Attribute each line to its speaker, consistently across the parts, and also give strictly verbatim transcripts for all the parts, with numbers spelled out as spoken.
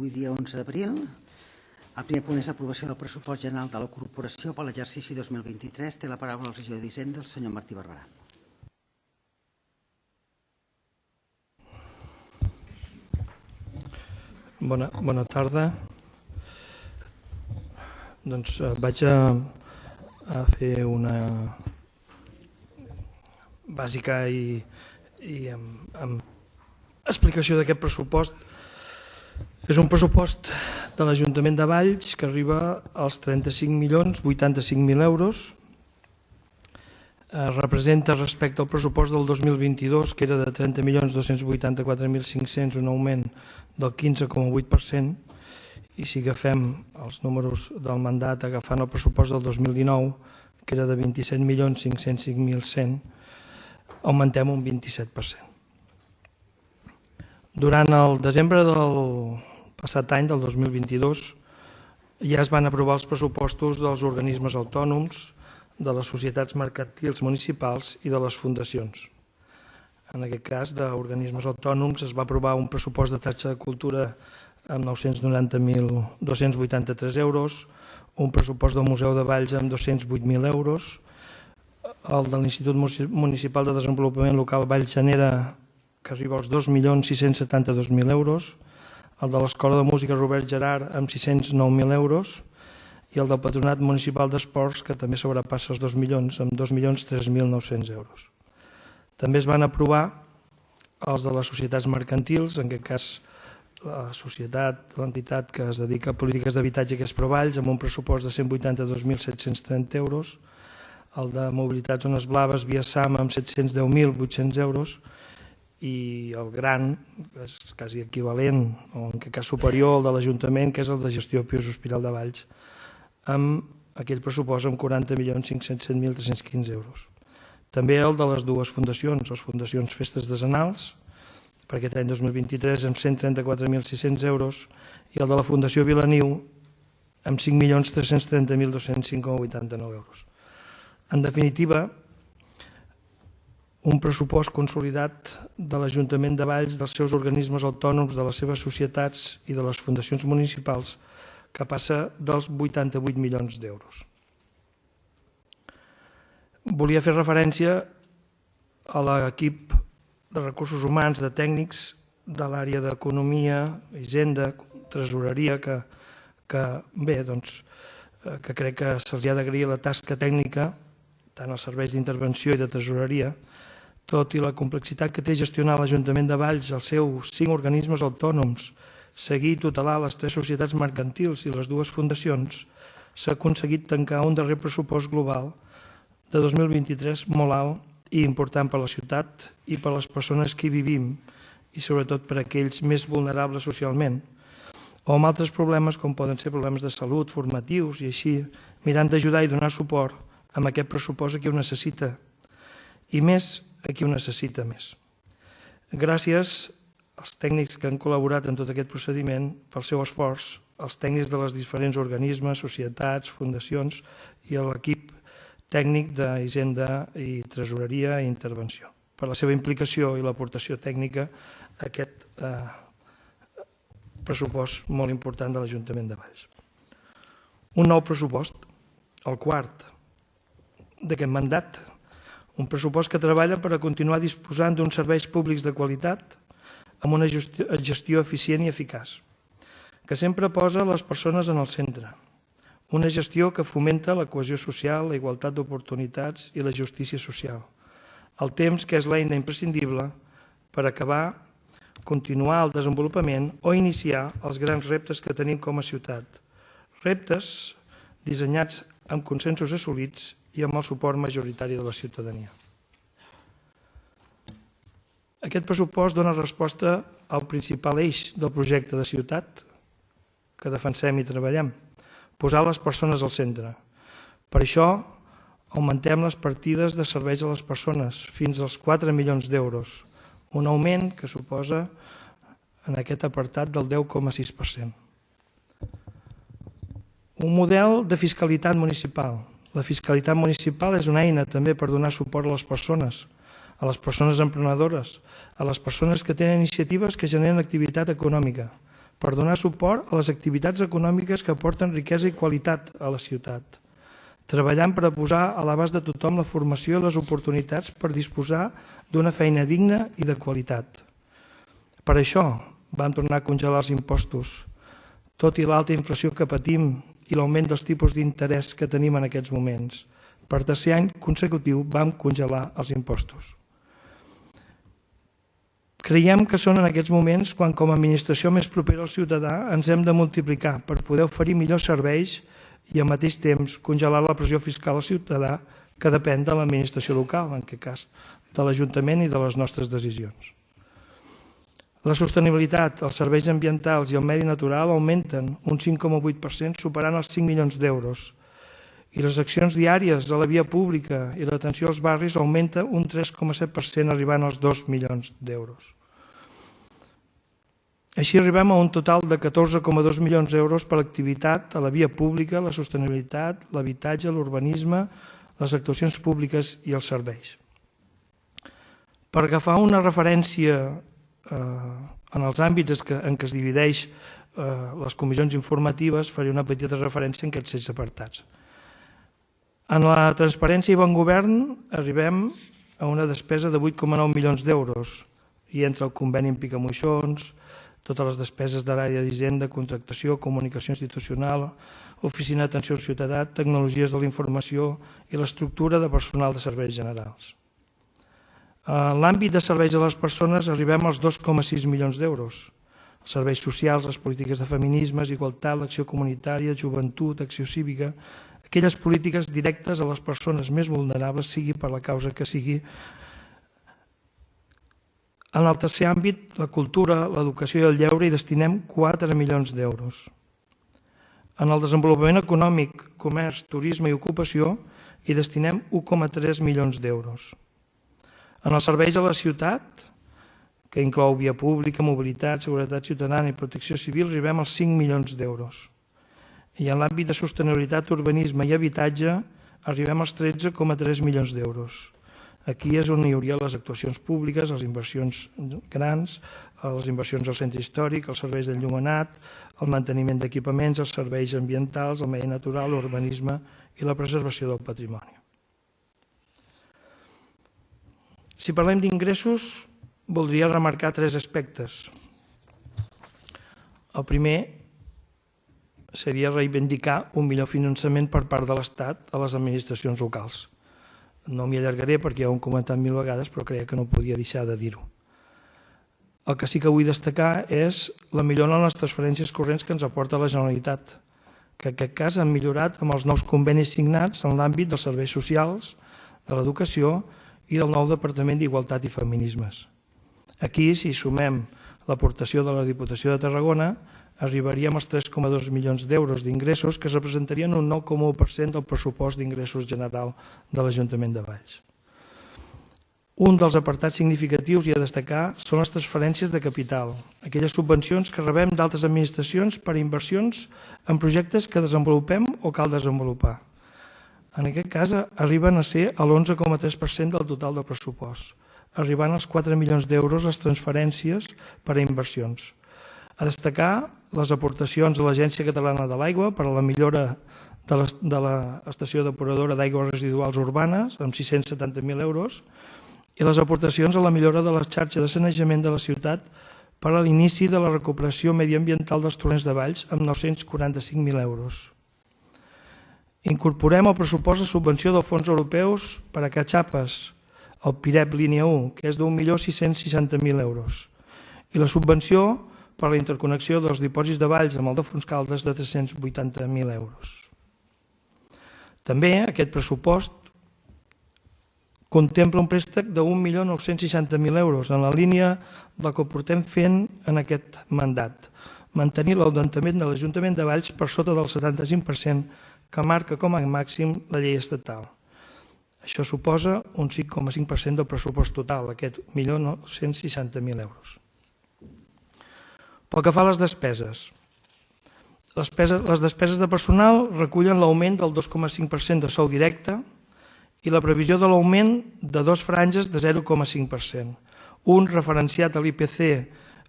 Speaker 1: d'avui, dia onze d'abril. El primer punt és l'aprovació del pressupost general de la Corporació per l'exercici dos mil vint-i-tres. Té la paraula el regidor d'Hisenda, el senyor Martí Barberà.
Speaker 2: Bona, bona tarda. Doncs eh, vaig a, a fer una bàsica i, i amb, amb explicació d'aquest pressupost. És un pressupost de l'Ajuntament de Valls que arriba als trenta-cinc milions vuitanta-cinc mil euros. Eh, representa respecte al pressupost del dos mil vint-i-dos, que era de trenta milions dos-cents vuitanta-quatre mil cinc-cents, un augment del quinze coma vuit per cent. I si agafem els números del mandat agafant el pressupost del dos mil dinou, que era de vint-i-set milions cinc-cents cinc mil cent, augmentem un vint-i-set per cent. Durant el desembre del passat any, del dos mil vint-i-dos, ja es van aprovar els pressupostos dels organismes autònoms, de les societats mercantils municipals i de les fundacions. En aquest cas, d'organismes autònoms, es va aprovar un pressupost de taxa de cultura amb nou-cents noranta mil dos-cents vuitanta-tres euros, un pressupost del Museu de Valls amb dos-cents vuit mil euros, el de l'Institut Municipal de Desenvolupament Local Vallxanera, que arriba als dos milions sis-cents setanta-dos mil euros, el de l'Escola de Música Robert Gerard amb sis-cents nou mil euros i el del Patronat Municipal d'Esports, que també sobrepassa els dos milions, amb dos milions tres mil nou-cents euros. També es van aprovar els de les societats mercantils, en aquest cas la societat, l'entitat que es dedica a polítiques d'habitatge, que és Provalls, amb un pressupost de cent vuitanta-dos mil set-cents trenta euros, el de mobilitat zones blaves via SAM amb set-cents deu mil vuit-cents euros, i el gran, que és quasi equivalent, o en aquest cas superior al de l'Ajuntament, que és el de gestió Pius Hospital de Valls, amb aquell pressupost amb quaranta milions cinc-cents set mil tres-cents quinze euros. També el de les dues fundacions, les fundacions Festes Desenals, per aquest any dos mil vint-i-tres amb cent trenta-quatre mil sis-cents euros, i el de la Fundació Vilaniu amb cinc milions tres-cents trenta mil dos-cents cinc coma vuitanta-nou euros. En definitiva, un pressupost consolidat de l'Ajuntament de Valls, dels seus organismes autònoms, de les seves societats i de les fundacions municipals, que passa dels vuitanta-vuit milions d'euros. Volia fer referència a l'equip de recursos humans, de tècnics de l'àrea d'economia, hisenda, tresoreria, que, que bé, doncs, que crec que se'ls ha d'agrair la tasca tècnica, tant als serveis d'intervenció i de tresoreria, tot i la complexitat que té gestionar l'Ajuntament de Valls, els seus cinc organismes autònoms, seguir i tutelar les tres societats mercantils i les dues fundacions, s'ha aconseguit tancar un darrer pressupost global de dos mil vint-i-tres molt alt i important per a la ciutat i per a les persones que hi vivim, i sobretot per a aquells més vulnerables socialment, o amb altres problemes com poden ser problemes de salut, formatius, i així mirant d'ajudar i donar suport amb aquest pressupost a qui ho necessita, i més a qui ho necessita més. Gràcies als tècnics que han col·laborat en tot aquest procediment, pel seu esforç, als tècnics de les diferents organismes, societats, fundacions i a l'equip tècnic d'Hisenda i Tresoreria i Intervenció, per la seva implicació i l'aportació tècnica a aquest eh, pressupost molt important de l'Ajuntament de Valls. Un nou pressupost, el quart d'aquest mandat, un pressupost que treballa per a continuar disposant d'uns serveis públics de qualitat amb una gestió eficient i eficaç, que sempre posa les persones en el centre, una gestió que fomenta la cohesió social, la igualtat d'oportunitats i la justícia social, el temps que és l'eina imprescindible per acabar, continuar el desenvolupament o iniciar els grans reptes que tenim com a ciutat, reptes dissenyats amb consensos assolits i amb el suport majoritari de la ciutadania. Aquest pressupost dona resposta al principal eix del projecte de ciutat que defensem i treballem, posar les persones al centre. Per això augmentem les partides de serveis a les persones fins als quatre milions d'euros, un augment que suposa en aquest apartat del deu coma sis per cent. Un model de fiscalitat municipal. La fiscalitat municipal és una eina també per donar suport a les persones, a les persones emprenedores, a les persones que tenen iniciatives que generen activitat econòmica, per donar suport a les activitats econòmiques que aporten riquesa i qualitat a la ciutat, treballant per a posar a l'abast de tothom la formació i les oportunitats per disposar d'una feina digna i de qualitat. Per això vam tornar a congelar els impostos, tot i l'alta inflació que patim i l'augment dels tipus d'interès que tenim en aquests moments. Per tercer any consecutiu vam congelar els impostos. Creiem que són en aquests moments quan, com a administració més propera al ciutadà, ens hem de multiplicar per poder oferir millors serveis i al mateix temps congelar la pressió fiscal al ciutadà que depèn de l'administració local, en aquest cas de l'Ajuntament i de les nostres decisions. La sostenibilitat, els serveis ambientals i el medi natural augmenten un cinc coma vuit per cent, superant els cinc milions d'euros. I les accions diàries a la via pública i l'atenció als barris augmenta un tres coma set per cent, arribant als dos milions d'euros. Així arribem a un total de catorze coma dos milions d'euros per l'activitat a la via pública, la sostenibilitat, l'habitatge, l'urbanisme, les actuacions públiques i els serveis. Per agafar una referència eh, en els àmbits en què es divideix eh, les comissions informatives, faré una petita referència en aquests sis apartats. En la transparència i bon govern arribem a una despesa de vuit coma nou milions d'euros i entre el conveni amb Picamoixons, totes les despeses de l'àrea d'Hisenda, contractació, comunicació institucional, oficina d'atenció al ciutadà, tecnologies de la informació i l'estructura de personal de serveis generals. En l'àmbit de serveis a les persones arribem als dos coma sis milions d'euros. Els serveis socials, les polítiques de feminismes, igualtat, l'acció comunitària, joventut, acció cívica, aquelles polítiques directes a les persones més vulnerables, sigui per la causa que sigui. En el tercer àmbit, la cultura, l'educació i el lleure, hi destinem quatre milions d'euros. En el desenvolupament econòmic, comerç, turisme i ocupació, hi destinem un coma tres milions d'euros. En els serveis a la ciutat, que inclou via pública, mobilitat, seguretat ciutadana i protecció civil, arribem als cinc milions d'euros. I en l'àmbit de sostenibilitat, urbanisme i habitatge arribem als tretze coma tres milions d'euros. Aquí és on hi hauria les actuacions públiques, les inversions grans, les inversions al centre històric, els serveis d'enllumenat, el manteniment d'equipaments, els serveis ambientals, el medi natural, l'urbanisme i la preservació del patrimoni. Si parlem d'ingressos, voldria remarcar tres aspectes. El primer seria reivindicar un millor finançament per part de l'Estat a les administracions locals. No m'hi allargaré perquè ja ho hem comentat mil vegades, però crec que no podia deixar de dir-ho. El que sí que vull destacar és la millora en les transferències corrents que ens aporta la Generalitat, que en aquest cas han millorat amb els nous convenis signats en l'àmbit dels serveis socials, de l'educació i del nou Departament d'Igualtat i Feminismes. Aquí, si sumem l'aportació de la Diputació de Tarragona, arribaríem als tres coma dos milions d'euros d'ingressos que representarien un nou coma u per cent del pressupost d'ingressos general de l'Ajuntament de Valls. Un dels apartats significatius i a destacar són les transferències de capital, aquelles subvencions que rebem d'altres administracions per a inversions en projectes que desenvolupem o cal desenvolupar. En aquest cas arriben a ser l'onze coma tres per cent del total del pressupost, arribant als quatre milions d'euros les transferències per a inversions. A destacar les aportacions a l'Agència Catalana de l'Aigua per a la millora de l'estació depuradora d'aigües residuals urbanes amb sis-cents setanta mil euros i les aportacions a la millora de la xarxa de sanejament de la ciutat per a l'inici de la recuperació mediambiental dels torrents de Valls amb nou-cents quaranta-cinc mil euros. Incorporem al pressupost la subvenció dels fons europeus per a Catxapes, el Pirep línia u, que és d'un milió sis-cents seixanta mil euros, i la subvenció per a la interconnexió dels dipòsits de Valls amb el de Fontscaldes de tres-cents vuitanta mil euros. També aquest pressupost contempla un préstec d'un milió nou-cents seixanta mil euros en la línia del que portem fent en aquest mandat, mantenir l'endeutament de l'Ajuntament de Valls per sota del setanta-cinc per cent que marca com a màxim la llei estatal. Això suposa un cinc coma cinc per cent del pressupost total, aquest un milió nou-cents seixanta mil euros. Pel que fa a les despeses, les despeses de personal recullen l'augment del dos coma cinc per cent de sou directe i la previsió de l'augment de dos franges de zero coma cinc per cent. Un referenciat a l'I P C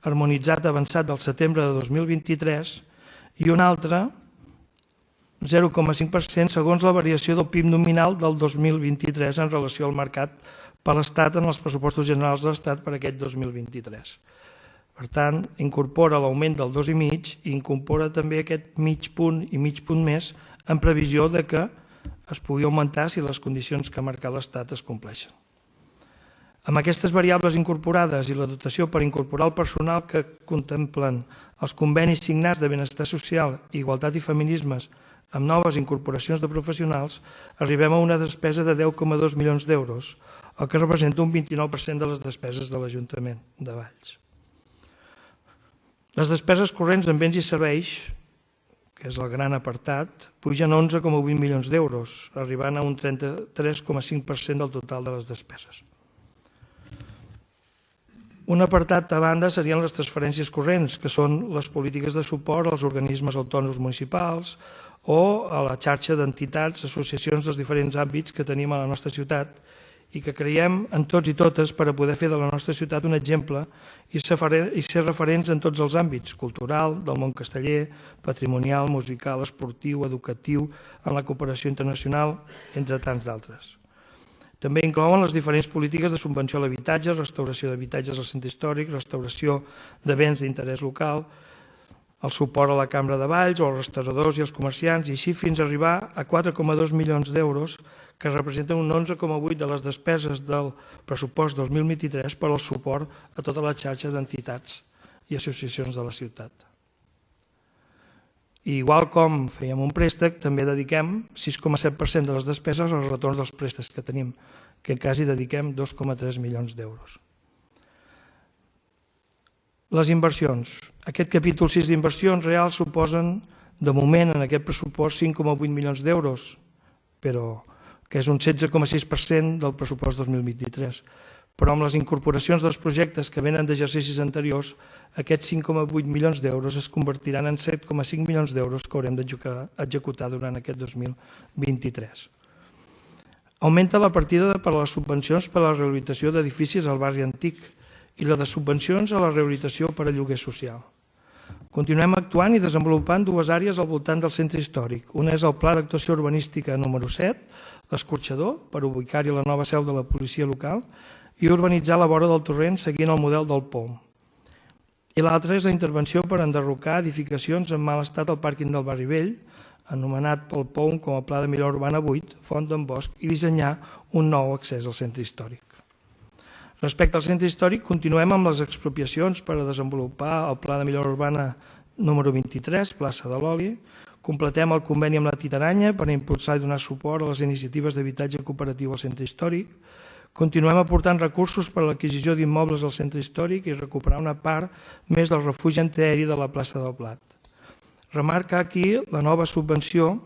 Speaker 2: harmonitzat avançat del setembre de dos mil vint-i-tres i un altre zero coma cinc per cent segons la variació del P I B nominal del dos mil vint-i-tres en relació al marcat per l'Estat en els pressupostos generals de l'Estat per aquest dos mil vint-i-tres. Per tant, incorpora l'augment del dos coma cinc i incorpora també aquest mig punt i mig punt més en previsió de que es pugui augmentar si les condicions que ha marcat l'Estat es compleixen. Amb aquestes variables incorporades i la dotació per incorporar el personal que contemplen els convenis signats de benestar social, igualtat i feminismes amb noves incorporacions de professionals, arribem a una despesa de deu coma dos milions d'euros, el que representa un vint-i-nou per cent de les despeses de l'Ajuntament de Valls. Les despeses corrents en béns i serveis, que és el gran apartat, pugen a onze coma vuit milions d'euros, arribant a un trenta-tres coma cinc per cent del total de les despeses. Un apartat a banda serien les transferències corrents, que són les polítiques de suport als organismes autònoms municipals o a la xarxa d'entitats, associacions dels diferents àmbits que tenim a la nostra ciutat i que creiem en tots i totes per a poder fer de la nostra ciutat un exemple i ser referents en tots els àmbits, cultural, del món casteller, patrimonial, musical, esportiu, educatiu, en la cooperació internacional, entre tants d'altres. També inclouen les diferents polítiques de subvenció a l'habitatge, restauració d'habitatges al centre històric, restauració de béns d'interès local, el suport a la Cambra de Valls o als restauradors i als comerciants, i així fins a arribar a quatre coma dos milions d'euros, que representen un onze coma vuit de les despeses del pressupost dos mil vint-i-tres per al suport a tota la xarxa d'entitats i associacions de la ciutat. I igual com fèiem un préstec, també dediquem sis coma set per cent de les despeses als retorns dels préstecs que tenim, que en cas hi dediquem dos coma tres milions d'euros. Les inversions. Aquest capítol sis d'inversions reals suposen, de moment, en aquest pressupost, cinc coma vuit milions d'euros, però que és un setze coma sis per cent del pressupost dos mil vint-i-tres. Però amb les incorporacions dels projectes que venen d'exercicis anteriors, aquests cinc coma vuit milions d'euros es convertiran en set coma cinc milions d'euros que haurem d'executar durant aquest dos mil vint-i-tres. Augmenta la partida per a les subvencions per a la rehabilitació d'edificis al barri antic i la de subvencions a la rehabilitació per a lloguer social. Continuem actuant i desenvolupant dues àrees al voltant del centre històric. Una és el Pla d'Actuació Urbanística número set, l'Escorxador, per ubicar-hi la nova seu de la policia local, i urbanitzar la vora del torrent seguint el model del P O M. I l'altra és la intervenció per enderrocar edificacions en mal estat al pàrquing del Barri Vell, anomenat pel P O M com a Pla de Millora Urbana vuit, Font d'en Bosch, i dissenyar un nou accés al centre històric. Respecte al centre històric, continuem amb les expropiacions per a desenvolupar el Pla de Millora Urbana número vint-i-tres, plaça de l'Oli. Completem el conveni amb la Titaranya per impulsar i donar suport a les iniciatives d'habitatge cooperatiu al centre històric. Continuem aportant recursos per a l'adquisició d'immobles al centre històric i recuperar una part més del refugi antiaeri de la plaça del Plat. Remarca aquí la nova subvenció,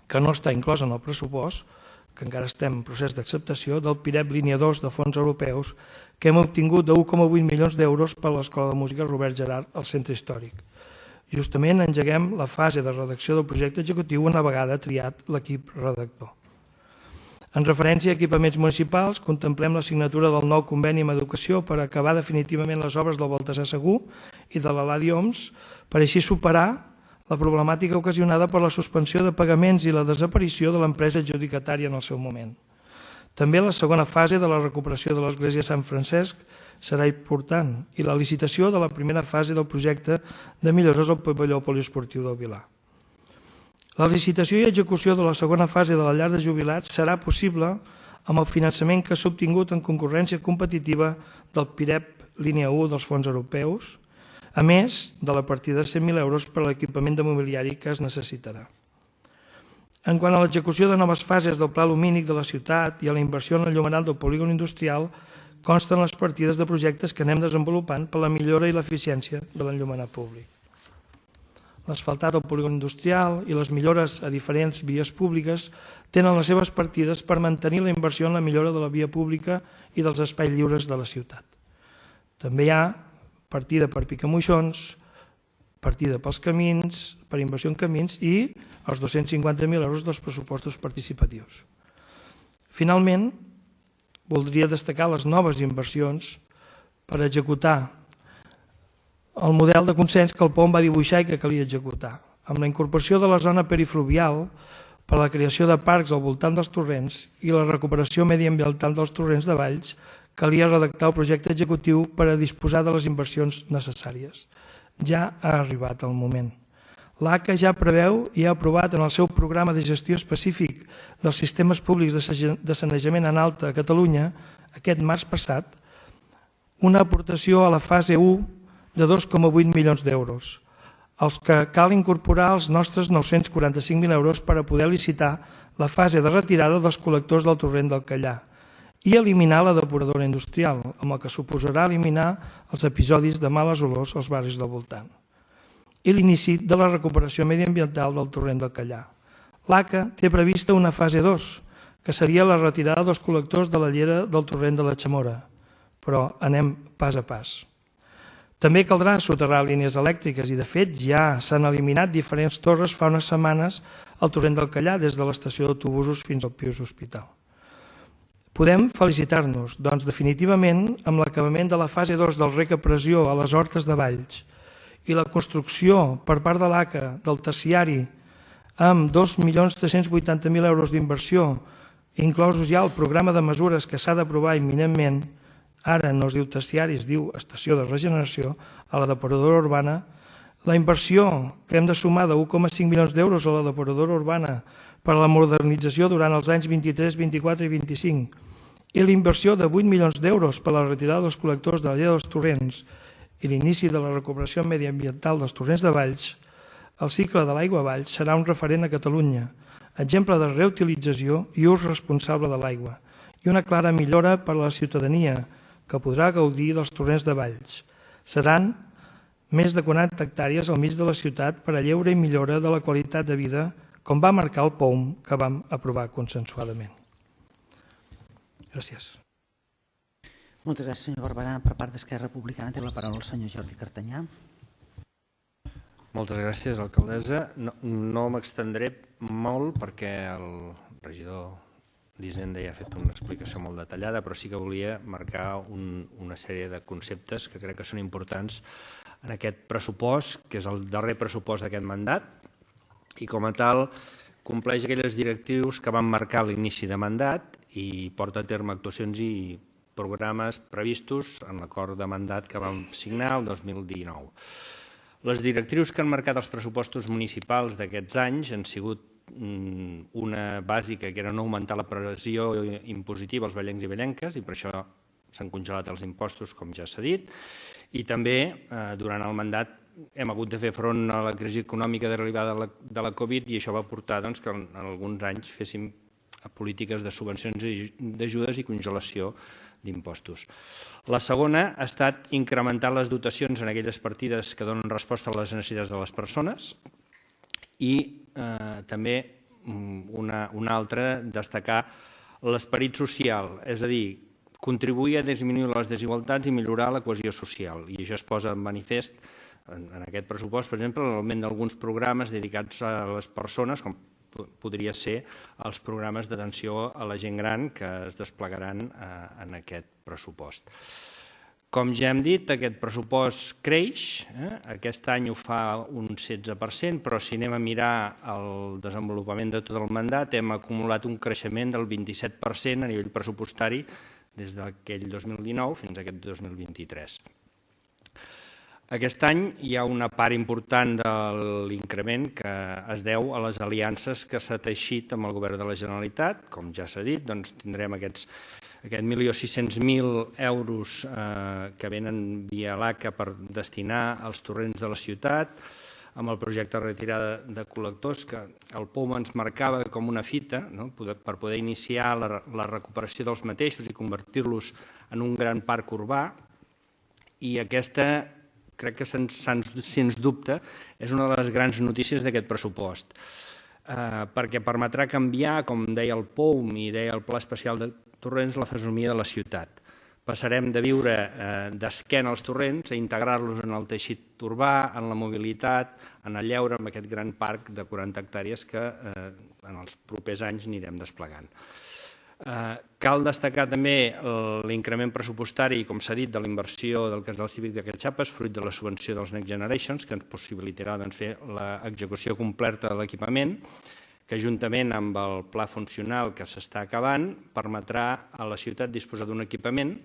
Speaker 2: que no està inclosa en el pressupost, que encara estem en procés d'acceptació, del Pirep línia dos de fons europeus, que hem obtingut de u coma vuit milions d'euros per a l'Escola de Música Robert Gerard al centre històric. Justament engeguem la fase de redacció del projecte executiu una vegada triat l'equip redactor. En referència a equipaments municipals, contemplem la signatura del nou conveni amb educació per acabar definitivament les obres del Baltasar Segur i de l'Eladi Oms, per així superar la problemàtica ocasionada per la suspensió de pagaments i la desaparició de l'empresa adjudicatària en el seu moment. També la segona fase de la recuperació de l'església Sant Francesc serà important i la licitació de la primera fase del projecte de millores al pavelló poliesportiu del Vilar. La licitació i execució de la segona fase de la llar de jubilats serà possible amb el finançament que s'ha obtingut en concurrència competitiva del Pirep línia u dels fons europeus, a més de la partida de cent mil euros per a l'equipament de mobiliari que es necessitarà. En quant a l'execució de noves fases del pla lumínic de la ciutat i a la inversió en el enllumenat del polígon industrial, consten les partides de projectes que anem desenvolupant per a la millora i l'eficiència de l'enllumenat públic. L'asfaltat al polígon industrial i les millores a diferents vies públiques tenen les seves partides per mantenir la inversió en la millora de la via pública i dels espais lliures de la ciutat. També hi ha partida per picamoixons, partida pels camins, per inversió en camins i els dos-cents cinquanta mil euros dels pressupostos participatius. Finalment, voldria destacar les noves inversions per executar el model de consens que el P O M va dibuixar i que calia executar. Amb la incorporació de la zona perifluvial per a la creació de parcs al voltant dels torrents i la recuperació mediambiental dels torrents de Valls, calia redactar el projecte executiu per a disposar de les inversions necessàries. Ja ha arribat el moment. L'A C A ja preveu i ha aprovat en el seu programa de gestió específic dels sistemes públics de sanejament en alta a Catalunya, aquest març passat, una aportació a la fase u de dos coma vuit milions d'euros, als que cal incorporar els nostres nou-cents quaranta-cinc mil euros per a poder licitar la fase de retirada dels col·lectors del torrent del Callà i eliminar la depuradora industrial, amb el que suposarà eliminar els episodis de males olors als barris del voltant, i l'inici de la recuperació mediambiental del torrent del Callà. L'A C A té prevista una fase dos, que seria la retirada dels col·lectors de la llera del torrent de la Chamora, però anem pas a pas. També caldrà soterrar línies elèctriques i, de fet, ja s'han eliminat diferents torres fa unes setmanes al torrent del Callà, des de l'estació d'autobusos fins al Pius Hospital. Podem felicitar-nos, doncs, definitivament, amb l'acabament de la fase dos del rec a pressió a les Hortes de Valls i la construcció per part de l'A C A del terciari amb dos milions tres-cents vuitanta mil euros d'inversió, inclosos ja el programa de mesures que s'ha d'aprovar imminentment, ara no es diu terciari, es diu estació de regeneració, a la depuradora urbana, la inversió que hem de sumar de u coma cinc milions d'euros a la depuradora urbana per a la modernització durant els anys vint-i-tres, vint-i-quatre i vint-i-cinc i la inversió de vuit milions d'euros per a la retirada dels col·lectors de la llera dels torrents i l'inici de la recuperació mediambiental dels torrents de Valls, el cicle de l'aigua a Valls serà un referent a Catalunya, exemple de reutilització i ús responsable de l'aigua i una clara millora per a la ciutadania que podrà gaudir dels torrents de Valls. Seran més de quaranta hectàrees al mig de la ciutat per a lleure i millora de la qualitat de vida, com va marcar el P O M que vam aprovar consensuadament. Gràcies.
Speaker 1: Moltes gràcies, senyor Barberà. Per part d'Esquerra Republicana té la paraula el senyor Jordi Cartanyà.
Speaker 3: Moltes gràcies, alcaldessa. No, no m'extendré molt perquè el regidor d'Hisenda ja ha fet una explicació molt detallada, però sí que volia marcar un, una sèrie de conceptes que crec que són importants en aquest pressupost, que és el darrer pressupost d'aquest mandat, i com a tal compleix aquelles directrius que van marcar l'inici de mandat i porta a terme actuacions i programes previstos en l'acord de mandat que vam signar el dos mil dinou. Les directrius que han marcat els pressupostos municipals d'aquests anys han sigut una bàsica, que era no augmentar la pressió impositiva als vellencs i vellenques, i per això s'han congelat els impostos, com ja s'ha dit, i també durant el mandat hem hagut de fer front a la crisi econòmica derivada de la Covid i això va portar que en alguns anys féssim polítiques de subvencions i d'ajudes i congelació d'impostos. La segona ha estat incrementar les dotacions en aquelles partides que donen resposta a les necessitats de les persones i també una altra, destacar l'esperit social, és a dir, contribuir a disminuir les desigualtats i millorar la cohesió social. I això es posa en manifest en aquest pressupost, per exemple, l'augment d'alguns programes dedicats a les persones, com podria ser els programes d'atenció a la gent gran que es desplegaran en aquest pressupost. Com ja hem dit, aquest pressupost creix, aquest any ho fa un setze per cent, però si anem a mirar el desenvolupament de tot el mandat, hem acumulat un creixement del vint-i-set per cent a nivell pressupostari des d'aquell dos mil dinou fins a aquest dos mil vint-i-tres. Aquest any hi ha una part important de l'increment que es deu a les aliances que s'ha teixit amb el Govern de la Generalitat. Com ja s'ha dit, tindrem aquests aquest milió sis-cents mil euros que venen via l'A C A per destinar als torrents de la ciutat, amb el projecte de retirada de col·lectors que el P O M ens marcava com una fita per poder iniciar la recuperació dels mateixos i convertir-los en un gran parc urbà. I aquesta, crec que sens dubte, és una de les grans notícies d'aquest pressupost, perquè permetrà canviar, com deia el P O M i deia el Pla Especial de Torrents, la fisonomia de la ciutat. Passarem de viure d'esquena als torrents a integrar-los en el teixit urbà, en la mobilitat, en el lleure, amb aquest gran parc de quaranta hectàrees que en els propers anys anirem desplegant. Cal destacar també l'increment pressupostari, com s'ha dit, de la inversió del casal cívic de Catxapes, fruit de la subvenció dels Next Generations, que ens possibilitarà fer l'execució completa de l'equipament, que juntament amb el pla funcional que s'està acabant permetrà a la ciutat disposar d'un equipament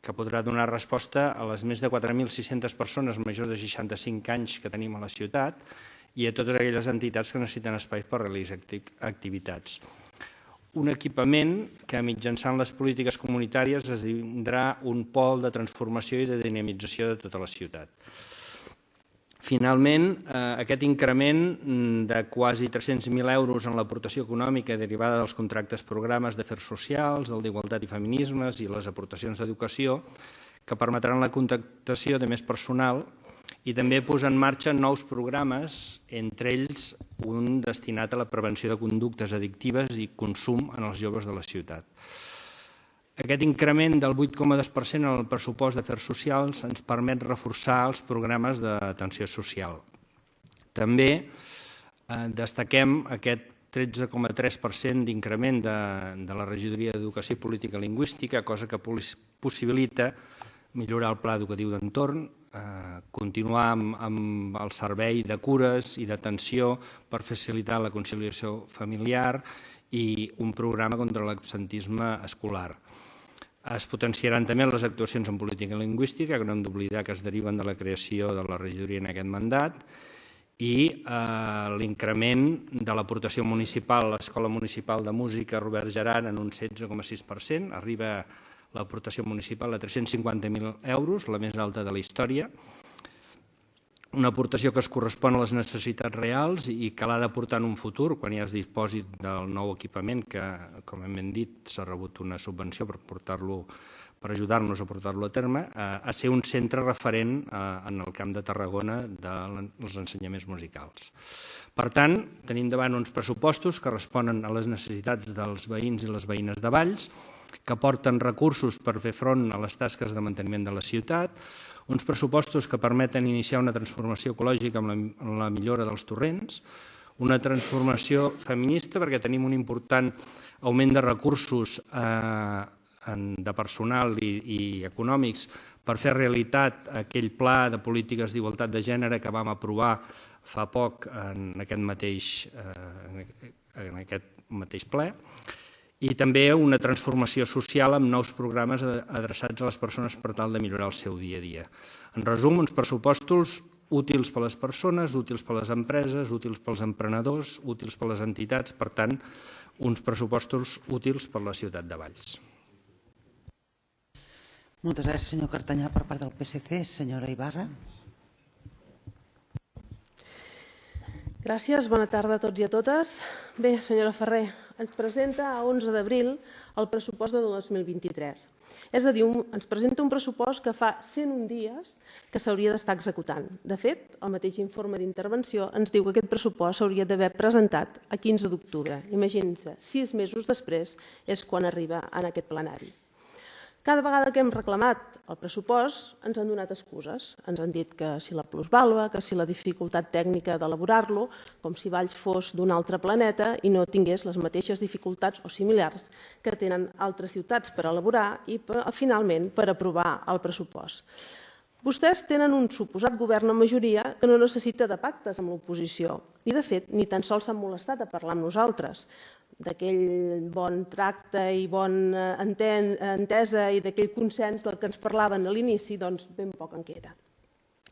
Speaker 3: que podrà donar resposta a les més de quatre mil sis-centes persones majors de seixanta-cinc anys que tenim a la ciutat i a totes aquelles entitats que necessiten espais per realitzar activitats. Un equipament que mitjançant les polítiques comunitàries esdevindrà un pol de transformació i de dinamització de tota la ciutat. Finalment, aquest increment de quasi tres-cents mil euros en l'aportació econòmica derivada dels contractes programes d'afers socials, del d'igualtat i feminismes i les aportacions d'educació, que permetran la contractació de més personal i també posar en marxa nous programes, entre ells un destinat a la prevenció de conductes addictives i consum en els joves de la ciutat. Aquest increment del vuit coma dos per cent en el pressupost d'afers socials ens permet reforçar els programes d'atenció social. També destaquem aquest tretze coma tres per cent d'increment de la regidoria d'Educació i Política Lingüística, cosa que possibilita millorar el pla educatiu d'entorn, continuar amb el servei de cures i d'atenció per facilitar la conciliació familiar i un programa contra l'absentisme escolar. Es potenciaran també les actuacions en política lingüística, que no hem d'oblidar que es deriven de la creació de la regidoria en aquest mandat, i l'increment de l'aportació municipal a l'Escola Municipal de Música Robert Gerard en un setze coma sis per cent, arriba l'aportació municipal a tres-cents cinquanta mil euros, la més alta de la història, una aportació que es correspon a les necessitats reals i que l'ha d'aportar en un futur, quan ja es disposi del nou equipament, que, com hem dit, s'ha rebut una subvenció per portar-lo, per ajudar-nos a portar-lo a terme, a ser un centre referent en el camp de Tarragona dels ensenyaments musicals. Per tant, tenim davant uns pressupostos que responen a les necessitats dels veïns i les veïnes de Valls, que aporten recursos per fer front a les tasques de manteniment de la ciutat, uns pressupostos que permeten iniciar una transformació ecològica amb la millora dels torrents, una transformació feminista perquè tenim un important augment de recursos de personal i econòmics per fer realitat aquell pla de polítiques d'igualtat de gènere que vam aprovar fa poc en aquest mateix ple, i també una transformació social amb nous programes adreçats a les persones per tal de millorar el seu dia a dia. En resum, uns pressupostos útils per a les persones, útils per a les empreses, útils per als emprenedors, útils per a les entitats, per tant, uns pressupostos útils per a la ciutat de Valls.
Speaker 1: Moltes gràcies, senyor Cartanyà. Per part del P S C, senyora Ibarra.
Speaker 4: Gràcies, bona tarda a tots i a totes. Bé, senyora Ferrer, ens presenta a onze d'abril el pressupost de dos mil vint-i-tres. És a dir, ens presenta un pressupost que fa cent un dies que s'hauria d'estar executant. De fet, el mateix informe d'intervenció ens diu que aquest pressupost s'hauria d'haver presentat a quinze d'octubre. Imaginin-se, sis mesos després és quan arriba en aquest plenari. Cada vegada que hem reclamat el pressupost ens han donat excuses. Ens han dit que si la plusvàlua, que si la dificultat tècnica d'elaborar-lo, com si Valls fos d'un altre planeta i no tingués les mateixes dificultats o similars que tenen altres ciutats per elaborar i, finalment, per aprovar el pressupost. Vostès tenen un suposat govern en majoria que no necessita de pactes amb l'oposició i, de fet, ni tan sols s'han molestat a parlar amb nosaltres. D'aquell bon tracte i bona entesa i d'aquell consens del que ens parlaven a l'inici, doncs ben poc en queda.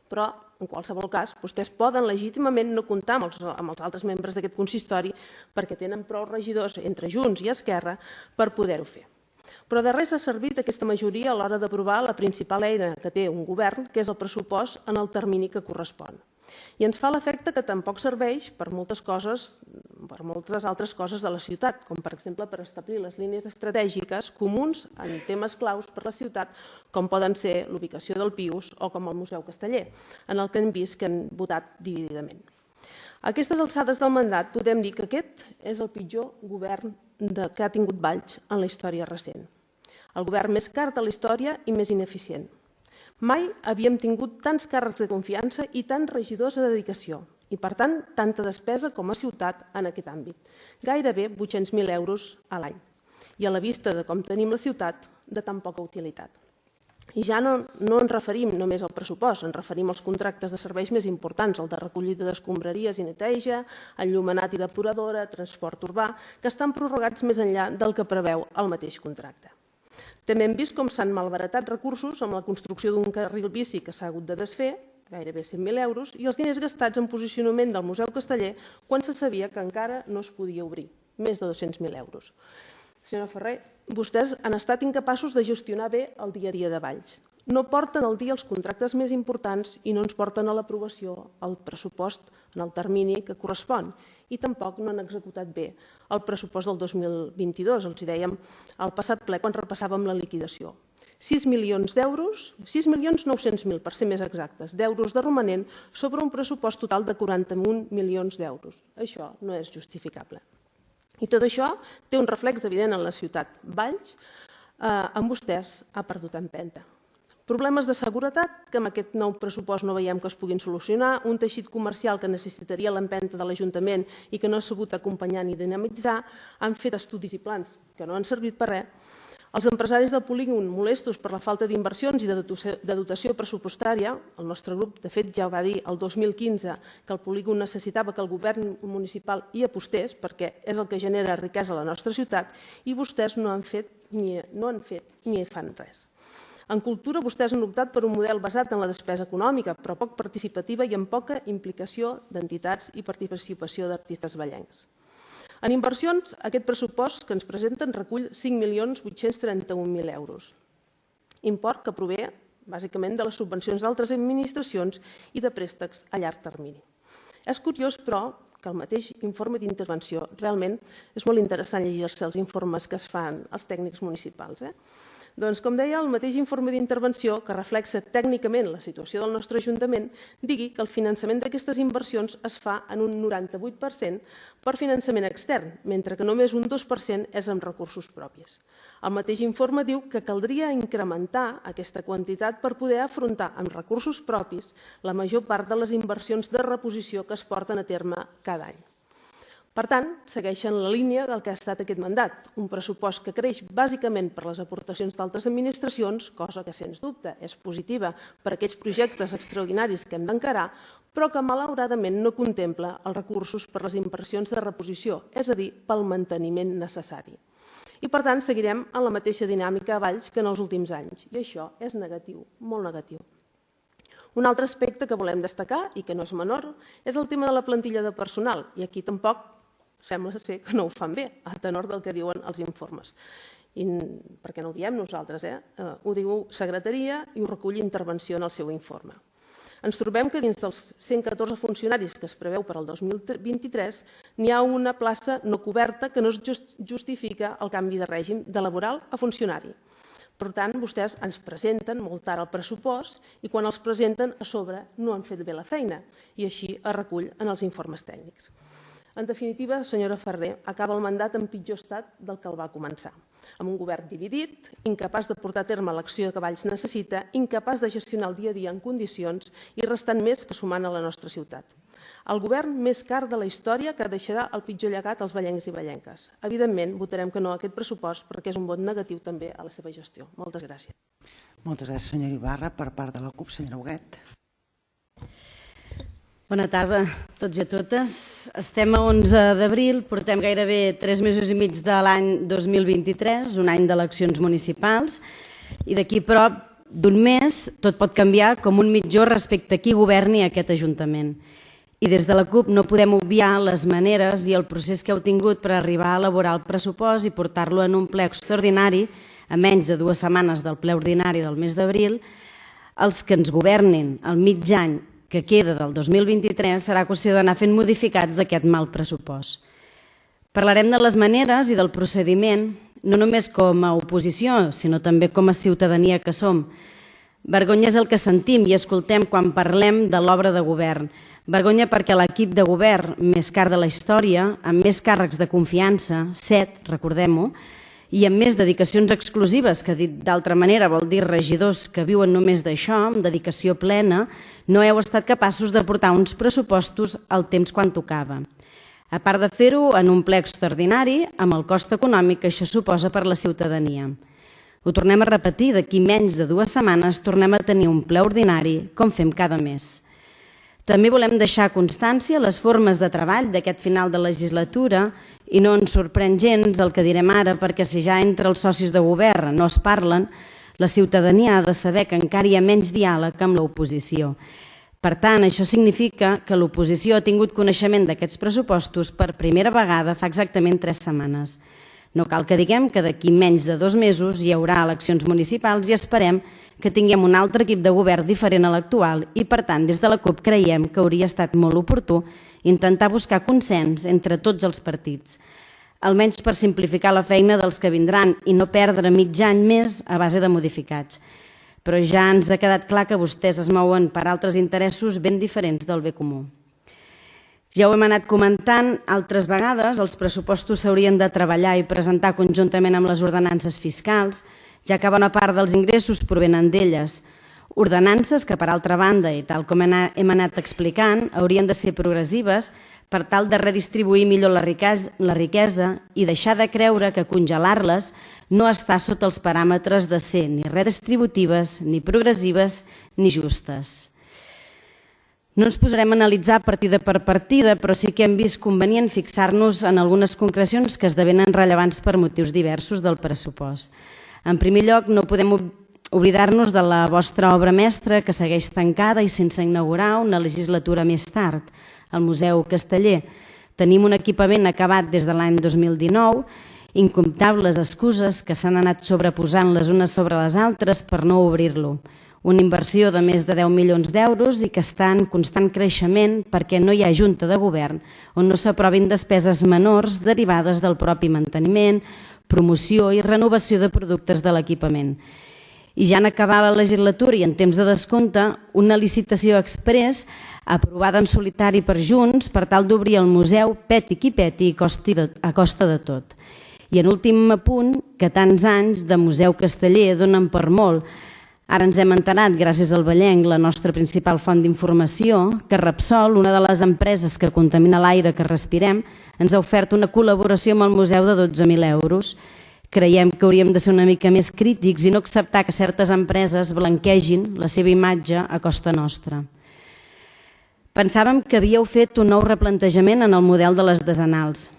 Speaker 4: Però, en qualsevol cas, vostès poden legítimament no comptar amb els altres membres d'aquest consistori perquè tenen prou regidors entre Junts i Esquerra per poder-ho fer. Però de res ha servit aquesta majoria a l'hora d'aprovar la principal eina que té un govern, que és el pressupost en el termini que correspon. I ens fa l'efecte que tampoc serveix per moltes coses, per moltes altres coses de la ciutat, com per exemple per establir les línies estratègiques comuns en temes claus per la ciutat, com poden ser l'ubicació del Pius o com el Museu Casteller, en el que hem vist que han votat divididament. A aquestes alçades del mandat podem dir que aquest és el pitjor govern que ha tingut Valls en la història recent. El govern més car de la història i més ineficient. Mai havíem tingut tants càrrecs de confiança i tants regidors de dedicació i, per tant, tanta despesa com a ciutat en aquest àmbit. Gairebé vuit-cents mil euros a l'any. i a la vista de com tenim la ciutat, de tan poca utilitat. I ja no, no ens referim només al pressupost, ens referim als contractes de serveis més importants, el de recollida d'escombraries i neteja, enllumenat i depuradora, transport urbà, que estan prorrogats més enllà del que preveu el mateix contracte. També hem vist com s'han malbaratat recursos amb la construcció d'un carril bici que s'ha hagut de desfer, gairebé cent mil euros, i els diners gastats en posicionament del Museu Casteller quan se sabia que encara no es podia obrir, més de dos-cents mil euros. Senyora Ferrer, vostès han estat incapaços de gestionar bé el dia a dia de Valls. No porten al dia els contractes més importants i no ens porten a l'aprovació el pressupost en el termini que correspon. I tampoc no han executat bé el pressupost del dos mil vint-i-dos, els hi dèiem al passat ple quan repassàvem la liquidació. sis milions d'euros, sis milions nou-cents mil per ser més exactes, d'euros de romanent sobre un pressupost total de quaranta-un milions d'euros. Això no és justificable. I tot això té un reflex evident en la ciutat. Valls, amb vostès, ha perdut empenta. Problemes de seguretat que amb aquest nou pressupost no veiem que es puguin solucionar, un teixit comercial que necessitaria l'empenta de l'Ajuntament i que no ha sabut acompanyar ni dinamitzar, han fet estudis i plans que no han servit per res. Els empresaris del polígon, molestos per la falta d'inversions i de dotació pressupostària, el nostre grup, de fet, ja va dir el dos mil quinze que el polígon necessitava que el govern municipal hi apostés perquè és el que genera riquesa a la nostra ciutat i vostès no han fet ni, no han fet, ni fan res. En cultura, vostès han optat per un model basat en la despesa econòmica, però poc participativa i amb poca implicació d'entitats i participació d'artistes vallencs. En inversions, aquest pressupost que ens presenten recull cinc milions vuit-cents trenta-un mil euros, import que prové, bàsicament, de les subvencions d'altres administracions i de préstecs a llarg termini. És curiós, però, que el mateix informe d'intervenció, realment és molt interessant llegir-se els informes que es fan als tècnics municipals, eh? Doncs, com deia, el mateix informe d'intervenció, que reflexa tècnicament la situació del nostre Ajuntament, digui que el finançament d'aquestes inversions es fa en un noranta-vuit per cent per finançament extern, mentre que només un dos per cent és amb recursos propis. El mateix informe diu que caldria incrementar aquesta quantitat per poder afrontar amb recursos propis la major part de les inversions de reposició que es porten a terme cada any. Per tant, segueixen la línia del que ha estat aquest mandat, un pressupost que creix bàsicament per les aportacions d'altres administracions, cosa que, sens dubte, és positiva per a aquells projectes extraordinaris que hem d'encarar, però que, malauradament, no contempla els recursos per a les inversions de reposició, és a dir, pel manteniment necessari. I, per tant, seguirem en la mateixa dinàmica a Valls que en els últims anys, i això és negatiu, molt negatiu. Un altre aspecte que volem destacar, i que no és menor, és el tema de la plantilla de personal, i aquí tampoc sembla ser que no ho fan bé, a tenor del que diuen els informes. I, perquè no ho diem nosaltres, eh? Ho diu Secretaria i ho recull Intervenció en el seu informe. Ens trobem que dins dels cent catorze funcionaris que es preveu per al dos mil vint-i-tres n'hi ha una plaça no coberta que no es justifica el canvi de règim de laboral a funcionari. Per tant, vostès ens presenten molt tard el pressupost i quan els presenten a sobre no han fet bé la feina i així es recull en els informes tècnics. En definitiva, senyora Ferrer, acaba el mandat en pitjor estat del que el va començar, amb un govern dividit, incapaç de portar a terme l'acció que Valls necessita, incapaç de gestionar el dia a dia en condicions i restant més que sumant a la nostra ciutat. El govern més car de la història que deixarà el pitjor llegat als vallencs i vallenques. Evidentment, votarem que no a aquest pressupost perquè és un vot negatiu també a la seva gestió. Moltes gràcies.
Speaker 1: Moltes gràcies, senyora Ibarra. Per part de la CUP, senyora Huguet.
Speaker 5: Bona tarda a tots i a totes. Estem a onze d'abril, portem gairebé tres mesos i mig de l'any dos mil vint-i-tres, un any d'eleccions municipals, i d'aquí prop d'un mes tot pot canviar com un mitjó respecte a qui governi aquest Ajuntament. I des de la CUP no podem obviar les maneres i el procés que heu tingut per arribar a elaborar el pressupost i portar-lo en un ple extraordinari, a menys de dues setmanes del ple ordinari del mes d'abril. Els que ens governin al mig any que queda del dos mil vint-i-tres serà qüestió d'anar fent modificats d'aquest mal pressupost. Parlarem de les maneres i del procediment, no només com a oposició, sinó també com a ciutadania que som. Vergonya és el que sentim i escoltem quan parlem de l'obra de govern. Vergonya perquè l'equip de govern més car de la història, amb més càrrecs de confiança, set, recordem-ho, i amb més dedicacions exclusives, que dit d'altra manera vol dir regidors que viuen només d'això, amb dedicació plena, no heu estat capaços de portar uns pressupostos al temps quan tocava. a part de fer-ho en un ple extraordinari amb el cost econòmic que això suposa per la ciutadania. Ho tornem a repetir, d'aquí menys de dues setmanes tornem a tenir un ple ordinari com fem cada mes. També volem deixar constància les formes de treball d'aquest final de legislatura i no ens sorprèn gens el que direm ara, perquè si ja entre els socis de govern no es parlen, la ciutadania ha de saber que encara hi ha menys diàleg amb l'oposició. Per tant, això significa que l'oposició ha tingut coneixement d'aquests pressupostos per primera vegada fa exactament tres setmanes. No cal que diguem que d'aquí menys de dos mesos hi haurà eleccions municipals i esperem que tinguem un altre equip de govern diferent a l'actual i, per tant, des de la CUP creiem que hauria estat molt oportú intentar buscar consens entre tots els partits, almenys per simplificar la feina dels que vindran i no perdre mig any més a base de modificats. Però ja ens ha quedat clar que vostès es mouen per altres interessos ben diferents del bé comú. Ja ho hem anat comentant altres vegades, els pressupostos s'haurien de treballar i presentar conjuntament amb les ordenances fiscals, ja que bona part dels ingressos provenen d'elles. Ordenances que, per altra banda, i tal com hem anat explicant, haurien de ser progressives per tal de redistribuir millor la riquesa i deixar de creure que congelar-les no està sota els paràmetres de ser ni redistributives, ni progressives, ni justes. No ens posarem a analitzar partida per partida, però sí que hem vist convenient fixar-nos en algunes concrecions que esdevenen rellevants per motius diversos del pressupost. En primer lloc, no podem oblidar-nos de la vostra obra mestra que segueix tancada i sense inaugurar una legislatura més tard, el Museu Casteller. Tenim un equipament acabat des de l'any dos mil dinou, incomptables excuses que s'han anat sobreposant les unes sobre les altres per no obrir-lo. Una inversió de més de deu milions d'euros i que està en constant creixement perquè no hi ha junta de govern on no s'aprovin despeses menors derivades del propi manteniment, promoció i renovació de productes de l'equipament. I ja en acabar la legislatura i en temps de descompte, una licitació exprés aprovada en solitari per Junts per tal d'obrir el museu peti qui peti a costa de tot. I en últim apunt, que tants anys de Museu Casteller donen per molt. Ara ens hem enterat, gràcies al Vallenc, la nostra principal font d'informació, que Repsol, una de les empreses que contamina l'aire que respirem, ens ha ofert una col·laboració amb el museu de dotze mil euros. Creiem que hauríem de ser una mica més crítics i no acceptar que certes empreses blanquegin la seva imatge a costa nostra. Pensàvem que havíeu fet un nou replantejament en el model de les desenals,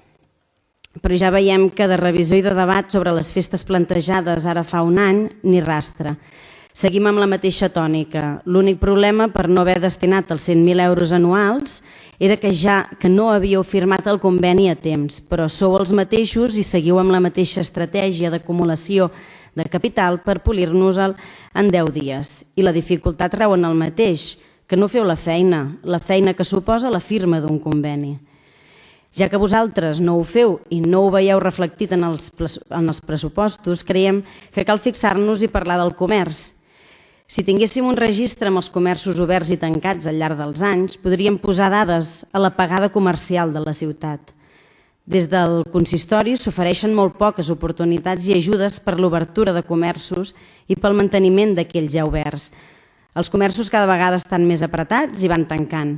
Speaker 5: però ja veiem que de revisió i de debat sobre les festes plantejades ara fa un any, ni rastre. Seguim amb la mateixa tònica. L'únic problema per no haver destinat els cent mil euros anuals era que ja que no havíeu firmat el conveni a temps, però sou els mateixos i seguiu amb la mateixa estratègia d'acumulació de capital per polir-nos-el en deu dies. I la dificultat rau en el mateix, que no feu la feina, la feina que suposa la firma d'un conveni. Ja que vosaltres no ho feu i no ho veieu reflectit en els, en els pressupostos, creiem que cal fixar-nos i parlar del comerç. Si tinguéssim un registre amb els comerços oberts i tancats al llarg dels anys, podríem posar dades a la pagada comercial de la ciutat. Des del consistori s'ofereixen molt poques oportunitats i ajudes per l'obertura de comerços i pel manteniment d'aquells ja oberts. Els comerços cada vegada estan més apretats i van tancant.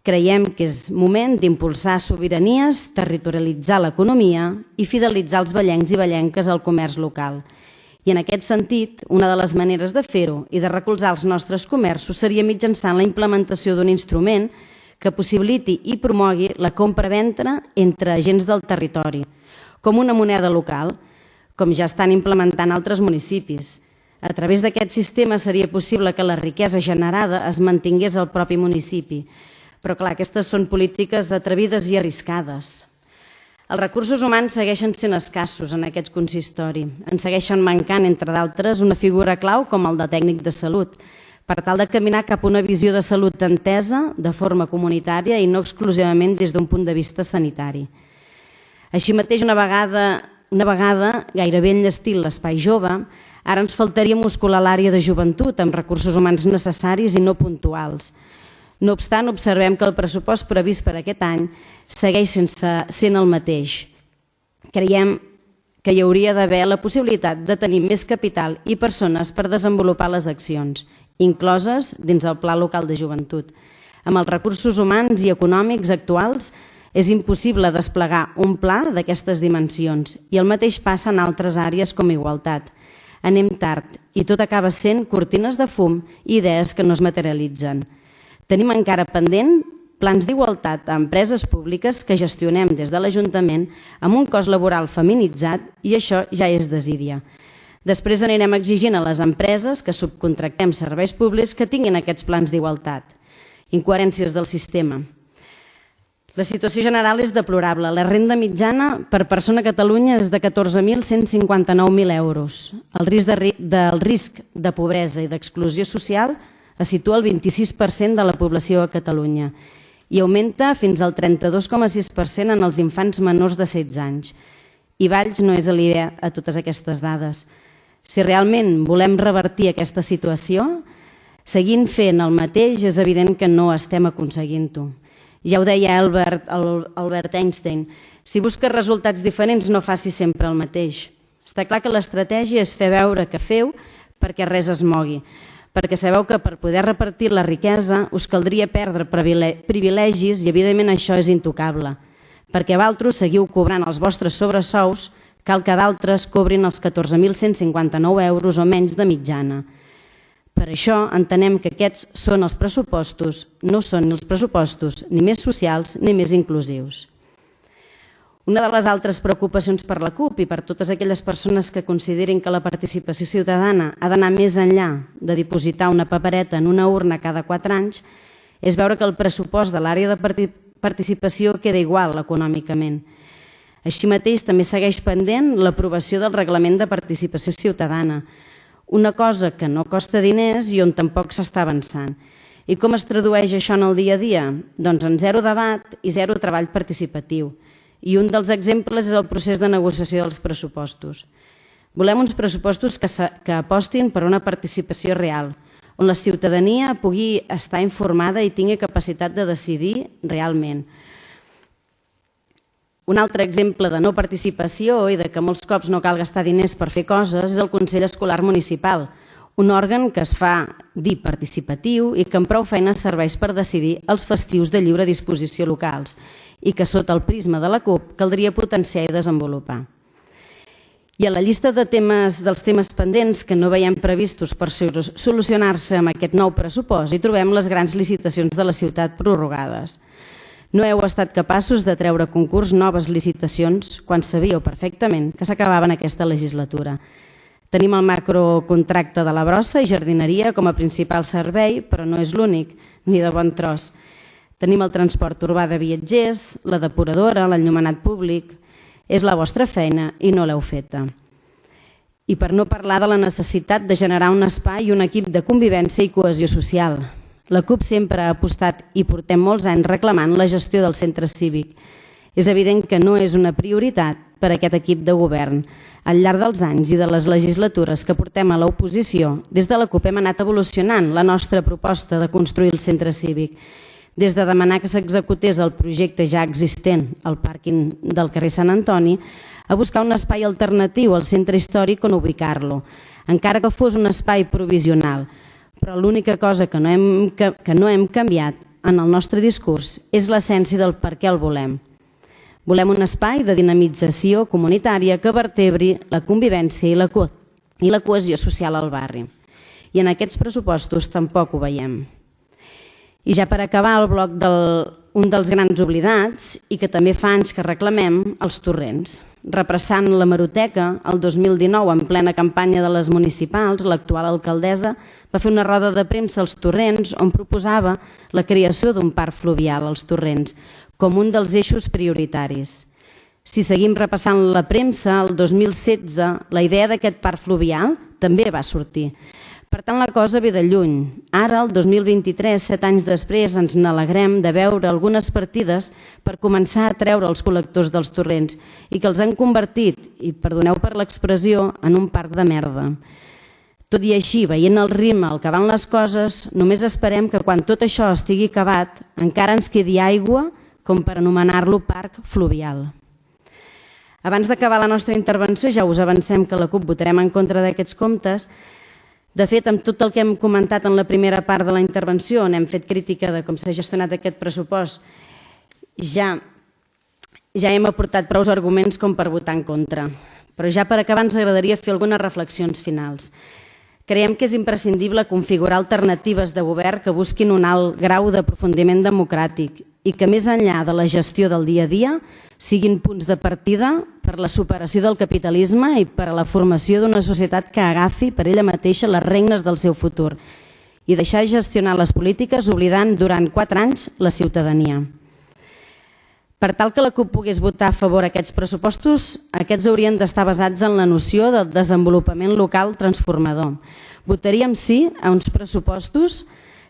Speaker 5: Creiem que és moment d'impulsar sobiranies, territorialitzar l'economia i fidelitzar els vallencs i vallenques al comerç local. I en aquest sentit, una de les maneres de fer-ho i de recolzar els nostres comerços seria mitjançant la implementació d'un instrument que possibiliti i promogui la compra-venda entre agents del territori, com una moneda local, com ja estan implementant altres municipis. A través d'aquest sistema seria possible que la riquesa generada es mantingués al propi municipi. Però clar, aquestes són polítiques atrevides i arriscades. Els recursos humans segueixen sent escassos en aquest consistori. Ens segueixen mancant, entre d'altres, una figura clau com el de tècnic de salut, per tal de caminar cap a una visió de salut entesa de forma comunitària i no exclusivament des d'un punt de vista sanitari. Així mateix, una vegada, una vegada gairebé enllestit l'espai jove, ara ens faltaria muscular l'àrea de joventut amb recursos humans necessaris i no puntuals. No obstant, observem que el pressupost previst per aquest any segueix sense sent el mateix. Creiem que hi hauria d'haver la possibilitat de tenir més capital i persones per desenvolupar les accions, incloses dins el Pla Local de Joventut. Amb els recursos humans i econòmics actuals És impossible desplegar un pla d'aquestes dimensions i el mateix passa en altres àrees com igualtat. Anem tard i tot acaba sent cortines de fum i idees que no es materialitzen. Tenim encara pendent plans d'igualtat a empreses públiques que gestionem des de l'Ajuntament amb un cost laboral feminitzat i això ja és desídia. Després anirem exigint a les empreses que subcontractem serveis públics que tinguin aquests plans d'igualtat. Incoherències del sistema. La situació general és deplorable. La renda mitjana per persona a Catalunya és de catorze mil cent cinquanta-nou mil euros. El risc de, del risc de pobresa i d'exclusió social es situa al vint-i-sis per cent de la població a Catalunya i augmenta fins al trenta-dos coma sis per cent en els infants menors de setze anys. I Valls no és aliè a totes aquestes dades. Si realment volem revertir aquesta situació, seguint fent el mateix, és evident que no estem aconseguint-ho. Ja ho deia Albert, Albert Einstein, si busques resultats diferents no facis sempre el mateix. Està clar que l'estratègia és fer veure que feu perquè res es mogui, perquè sabeu que per poder repartir la riquesa us caldria perdre privilegis i evidentment això és intocable. Perquè vosaltres seguiu cobrant els vostres sobresous, cal que d'altres cobrin els catorze mil cent cinquanta-nou euros o menys de mitjana. Per això entenem que aquests són els pressupostos, no són els pressupostos ni més socials ni més inclusius. Una de les altres preocupacions per la CUP i per totes aquelles persones que considerin que la participació ciutadana ha d'anar més enllà de dipositar una papereta en una urna cada quatre anys és veure que el pressupost de l'àrea de participació queda igual econòmicament. Així mateix també segueix pendent l'aprovació del Reglament de Participació Ciutadana, una cosa que no costa diners i on tampoc s'està avançant. I com es tradueix això en el dia a dia? Doncs en zero debat i zero treball participatiu. I un dels exemples és el procés de negociació dels pressupostos. Volem uns pressupostos que, que apostin per una participació real, on la ciutadania pugui estar informada i tingui capacitat de decidir realment. Un altre exemple de no participació i de que molts cops no cal gastar diners per fer coses és el Consell Escolar Municipal, un òrgan que es fa dir participatiu i que amb prou feina serveix per decidir els festius de lliure disposició locals i que sota el prisma de la CUP caldria potenciar i desenvolupar. I a la llista de temes, dels temes pendents que no veiem previstos per solucionar-se amb aquest nou pressupost hi trobem les grans licitacions de la ciutat prorrogades. No heu estat capaços de treure a concurs noves licitacions quan sabíeu perfectament que s'acabaven aquesta legislatura. Tenim el macrocontracte de la brossa i jardineria com a principal servei, però no és l'únic, ni de bon tros. Tenim el transport urbà de viatgers, la depuradora, l'enllumenat públic. És la vostra feina i no l'heu feta. I per no parlar de la necessitat de generar un espai i un equip de convivència i cohesió social. La CUP sempre ha apostat i portem molts anys reclamant la gestió del centre cívic. És evident que no és una prioritat per a aquest equip de govern. Al llarg dels anys i de les legislatures que portem a l'oposició, des de la CUP hem anat evolucionant la nostra proposta de construir el centre cívic. Des de demanar que s'executés el projecte ja existent, el pàrquing del carrer Sant Antoni, a buscar un espai alternatiu al centre històric on ubicar-lo, encara que fos un espai provisional. Però l'única cosa que no, hem, que, que no hem canviat en el nostre discurs és l'essència del per què el volem. Volem un espai de dinamització comunitària que vertebri la convivència i la, co i la cohesió social al barri. I en aquests pressupostos tampoc ho veiem. I ja per acabar el bloc del, un dels grans oblidats i que també fa anys que reclamem, els torrents. Repressant l'hemeroteca, el dos mil dinou, en plena campanya de les municipals, l'actual alcaldessa va fer una roda de premsa als torrents on proposava la creació d'un parc fluvial als torrents com un dels eixos prioritaris. Si seguim repassant la premsa, el dos mil setze la idea d'aquest parc fluvial també va sortir. Per tant, la cosa ve de lluny. Ara, el dos mil vint-i-tres, set anys després, ens n'alegrem de veure algunes partides per començar a treure els col·lectors dels torrents i que els han convertit, i perdoneu per l'expressió, en un parc de merda. Tot i així, veient el ritme al que van les coses, només esperem que quan tot això estigui acabat encara ens quedi aigua com per anomenar-lo parc fluvial. Abans d'acabar la nostra intervenció, ja us avancem que la CUP votarem en contra d'aquests comptes. De fet, amb tot el que hem comentat en la primera part de la intervenció, on hem fet crítica de com s'ha gestionat aquest pressupost, ja ja hem aportat prou arguments com per votar en contra. Però ja per acabar ens agradaria fer algunes reflexions finals. Creiem que és imprescindible configurar alternatives de govern que busquin un alt grau d'aprofundiment democràtic i que més enllà de la gestió del dia a dia siguin punts de partida per la superació del capitalisme i per a la formació d'una societat que agafi per ella mateixa les regnes del seu futur i deixar de gestionar les polítiques oblidant durant quatre anys la ciutadania. Per tal que la CUP pogués votar a favor aquests pressupostos, aquests haurien d'estar basats en la noció del desenvolupament local transformador. Votaríem sí a uns pressupostos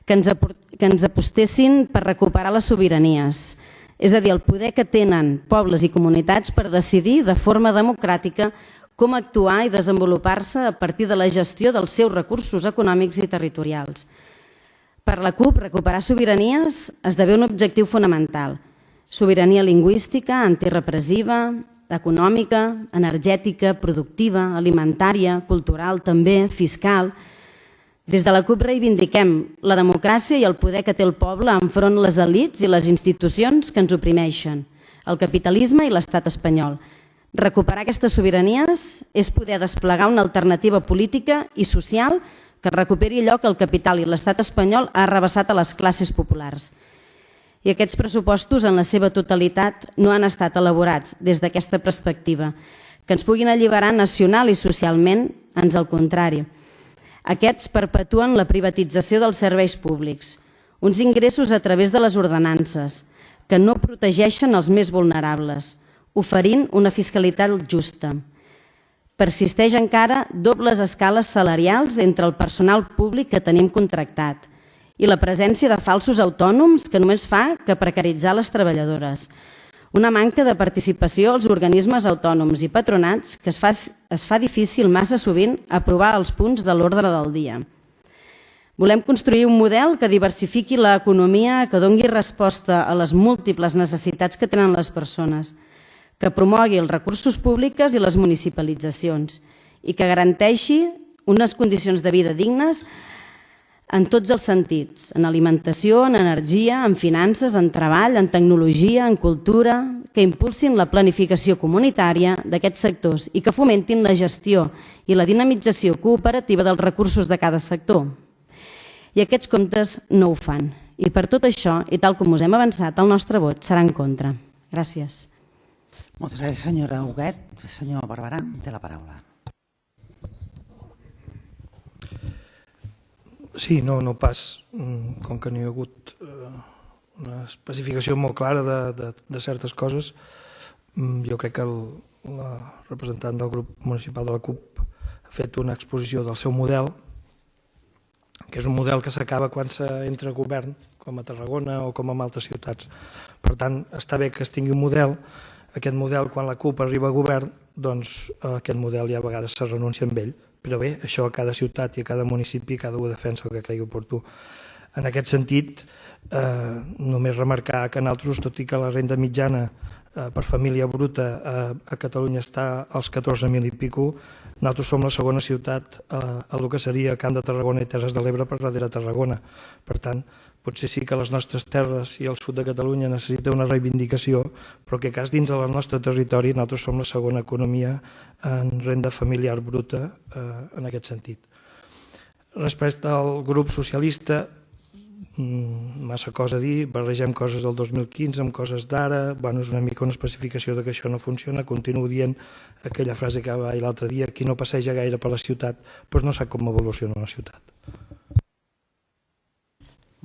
Speaker 5: que ens, que ens apostessin per recuperar les sobiranies, és a dir, el poder que tenen pobles i comunitats per decidir de forma democràtica com actuar i desenvolupar-se a partir de la gestió dels seus recursos econòmics i territorials. Per la CUP, recuperar sobiranies esdevé un objectiu fonamental. Sobirania lingüística, antirepressiva, econòmica, energètica, productiva, alimentària, cultural, també, fiscal. Des de la CUP reivindiquem la democràcia i el poder que té el poble enfront les elits i les institucions que ens oprimeixen, el capitalisme i l'estat espanyol. Recuperar aquestes sobiranies és poder desplegar una alternativa política i social que recuperi allò que el capital i l'estat espanyol ha arrabassat a les classes populars. I aquests pressupostos en la seva totalitat no han estat elaborats des d'aquesta perspectiva, que ens puguin alliberar nacional i socialment, ans al contrari. Aquests perpetuen la privatització dels serveis públics, uns ingressos a través de les ordenances, que no protegeixen els més vulnerables, oferint una fiscalitat justa. Persisteix encara dobles escales salarials entre el personal públic que tenim contractat, i la presència de falsos autònoms que només fa que precaritzar les treballadores. Una manca de participació als organismes autònoms i patronats que es fa, es fa difícil massa sovint aprovar els punts de l'ordre del dia. Volem construir un model que diversifiqui l'economia, que doni resposta a les múltiples necessitats que tenen les persones, que promogui els recursos públics i les municipalitzacions i que garanteixi unes condicions de vida dignes en tots els sentits, en alimentació, en energia, en finances, en treball, en tecnologia, en cultura, que impulsin la planificació comunitària d'aquests sectors i que fomentin la gestió i la dinamització cooperativa dels recursos de cada sector. I aquests comptes no ho fan. I per tot això, i tal com us hem avançat, el nostre vot serà en contra. Gràcies.
Speaker 1: Moltes gràcies, senyora Huguet. Senyor Barberà, té la paraula.
Speaker 2: Sí, no, no pas, com que no hi ha hagut una especificació molt clara de, de, de certes coses, jo crec que el, la representant del grup municipal de la CUP ha fet una exposició del seu model, que és un model que s'acaba quan s'entra a govern, com a Tarragona o com a altres ciutats. Per tant, està bé que es tingui un model, aquest model quan la CUP arriba a govern, doncs aquest model ja a vegades se renuncia amb ell. Però bé, això a cada ciutat i a cada municipi cada un defensa el que cregui oportú. En aquest sentit, eh, només remarcar que nosaltres, tot i que la renda mitjana eh, per família bruta eh, a Catalunya està als catorze mil i pico, nosaltres som la segona ciutat eh, a el que seria Camp de Tarragona i Terres de l'Ebre per darrere Tarragona. Per tant, potser sí que les nostres terres i el sud de Catalunya necessita una reivindicació, però que cas dins del nostre territori nosaltres som la segona economia en renda familiar bruta eh, en aquest sentit. Respecte al grup socialista, massa cosa a dir, barregem coses del dos mil quinze amb coses d'ara, bueno, és una mica una especificació de que això no funciona, continuo dient aquella frase que va dir l'altre dia, qui no passeja gaire per la ciutat doncs no sap com evoluciona una ciutat.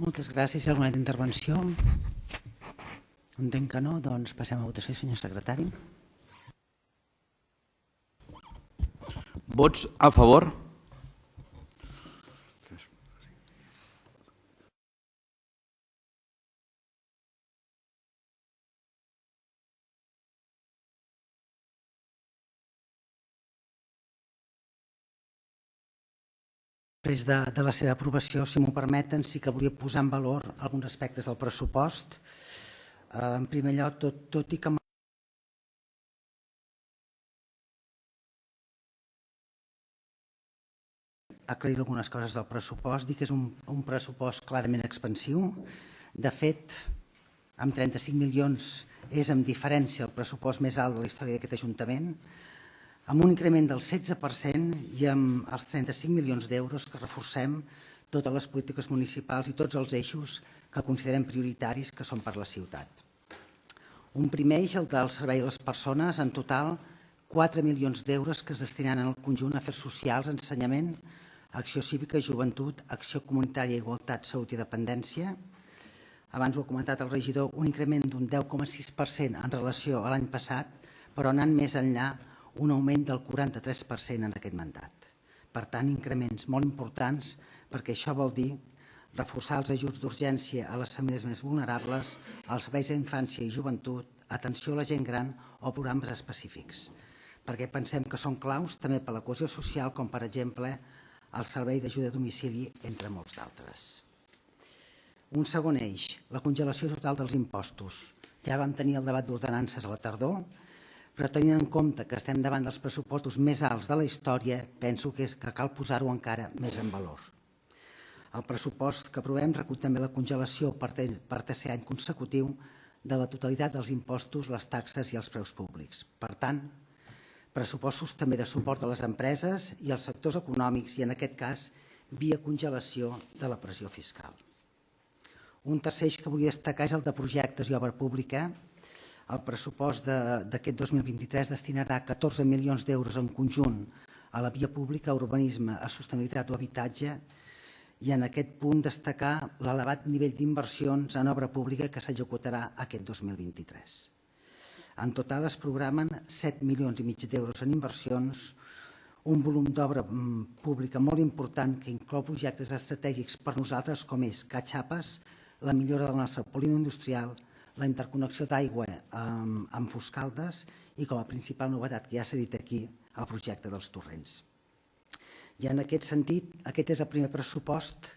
Speaker 1: Moltes gràcies. Alguna intervenció? Entenc que no, doncs passem a votació, senyor secretari.
Speaker 6: Vots a favor?
Speaker 1: Després de, de la seva aprovació, si m'ho permeten, sí que volia posar en valor alguns aspectes del pressupost. Eh, en primer lloc, tot, tot i que aclarir algunes coses del pressupost, dir que és un, un pressupost clarament expansiu. De fet, amb trenta-cinc milions és amb diferència el pressupost més alt de la història d'aquest Ajuntament, amb un increment del setze per cent i amb els trenta-cinc milions d'euros que reforcem totes les polítiques municipals i tots els eixos que considerem prioritaris que són per la ciutat. Un primer eix, el del servei a les persones, en total quatre milions d'euros que es destinaran al conjunt a afers socials, ensenyament, acció cívica, joventut, acció comunitària, igualtat, salut i dependència. Abans ho ha comentat el regidor, un increment d'un deu coma sis per cent en relació a l'any passat, però anant més enllà, un augment del quaranta-tres per cent en aquest mandat. Per tant, increments molt importants, perquè això vol dir reforçar els ajuts d'urgència a les famílies més vulnerables, els serveis d'infància i joventut, atenció a la gent gran o programes específics, perquè pensem que són claus també per a la cohesió social, com per exemple el servei d'ajuda a domicili, entre molts d'altres. Un segon eix, la congelació total dels impostos. Ja vam tenir el debat d'ordenances a la tardor, però tenint en compte que estem davant dels pressupostos més alts de la història, penso que, és, que cal posar-ho encara més en valor. El pressupost que aprovem recull també la congelació per, per tercer any consecutiu de la totalitat dels impostos, les taxes i els preus públics. Per tant, pressupostos també de suport a les empreses i als sectors econòmics i, en aquest cas, via congelació de la pressió fiscal. Un tercer eix que volia destacar és el de projectes i obra pública. El pressupost d'aquest dos mil vint-i-tres destinarà catorze milions d'euros en conjunt a la via pública, a urbanisme, a sostenibilitat o habitatge, i en aquest punt destacar l'elevat nivell d'inversions en obra pública que s'executarà aquest dos mil vint-i-tres. En total es programen set milions i mig d'euros en inversions, un volum d'obra pública molt important que inclou projectes estratègics per nosaltres com és Catxapes, la millora del nostre polígon industrial, la interconnexió d'aigua amb Foscaldes i, com a principal novetat que ja s'ha dit aquí, el projecte dels torrents. I en aquest sentit, aquest és el primer pressupost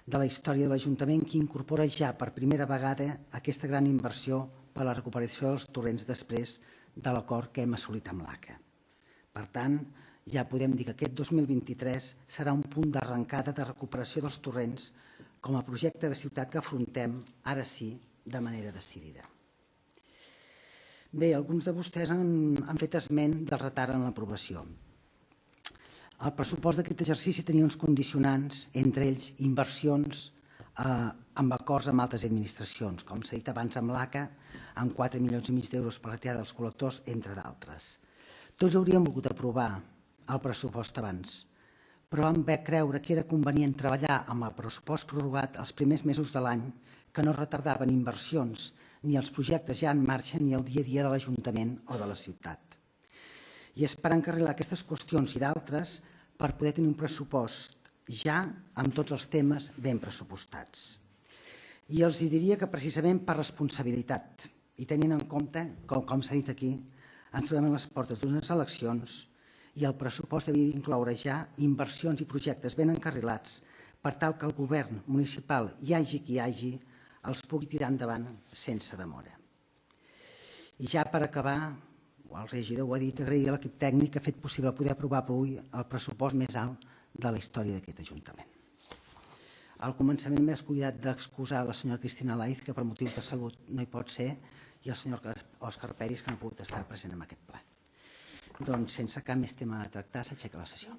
Speaker 1: de la història de l'Ajuntament que incorpora ja per primera vegada aquesta gran inversió per a la recuperació dels torrents després de l'acord que hem assolit amb l'A C A. Per tant, ja podem dir que aquest dos mil vint-i-tres serà un punt d'arrencada de recuperació dels torrents com a projecte de ciutat que afrontem, ara sí, de manera decidida. Bé, alguns de vostès han, han fet esment del retard en l'aprovació. El pressupost d'aquest exercici tenia uns condicionants, entre ells inversions eh, amb acords amb altres administracions, com s'ha dit abans amb l'A C A, amb quatre milions i mig d'euros per retirada dels col·lectors, entre d'altres. Tots hauríem volgut aprovar el pressupost abans, però vam creure que era convenient treballar amb el pressupost prorrogat els primers mesos de l'any, que no retardaven inversions ni els projectes ja en marxa ni el dia a dia de l'Ajuntament o de la ciutat. I és per encarrilar aquestes qüestions i d'altres per poder tenir un pressupost ja amb tots els temes ben pressupostats. I els diria que precisament per responsabilitat i tenint en compte, com, com s'ha dit aquí, ens trobem a les portes d'unes eleccions i el pressupost havia d'incloure ja inversions i projectes ben encarrilats per tal que el govern municipal, hi hagi qui hi hagi, els pugui tirar endavant sense demora. I ja per acabar, el regidor ho ha dit, agrair a l'equip tècnic que ha fet possible poder aprovar avui el pressupost més alt de la història d'aquest Ajuntament. Al començament m'he descuidat d'excusar la senyora Cristina Laiz, que per motius de salut no hi pot ser, i el senyor Òscar Peris, que no ha pogut estar present en aquest ple. Doncs, sense cap més tema a tractar, s'aixeca la sessió.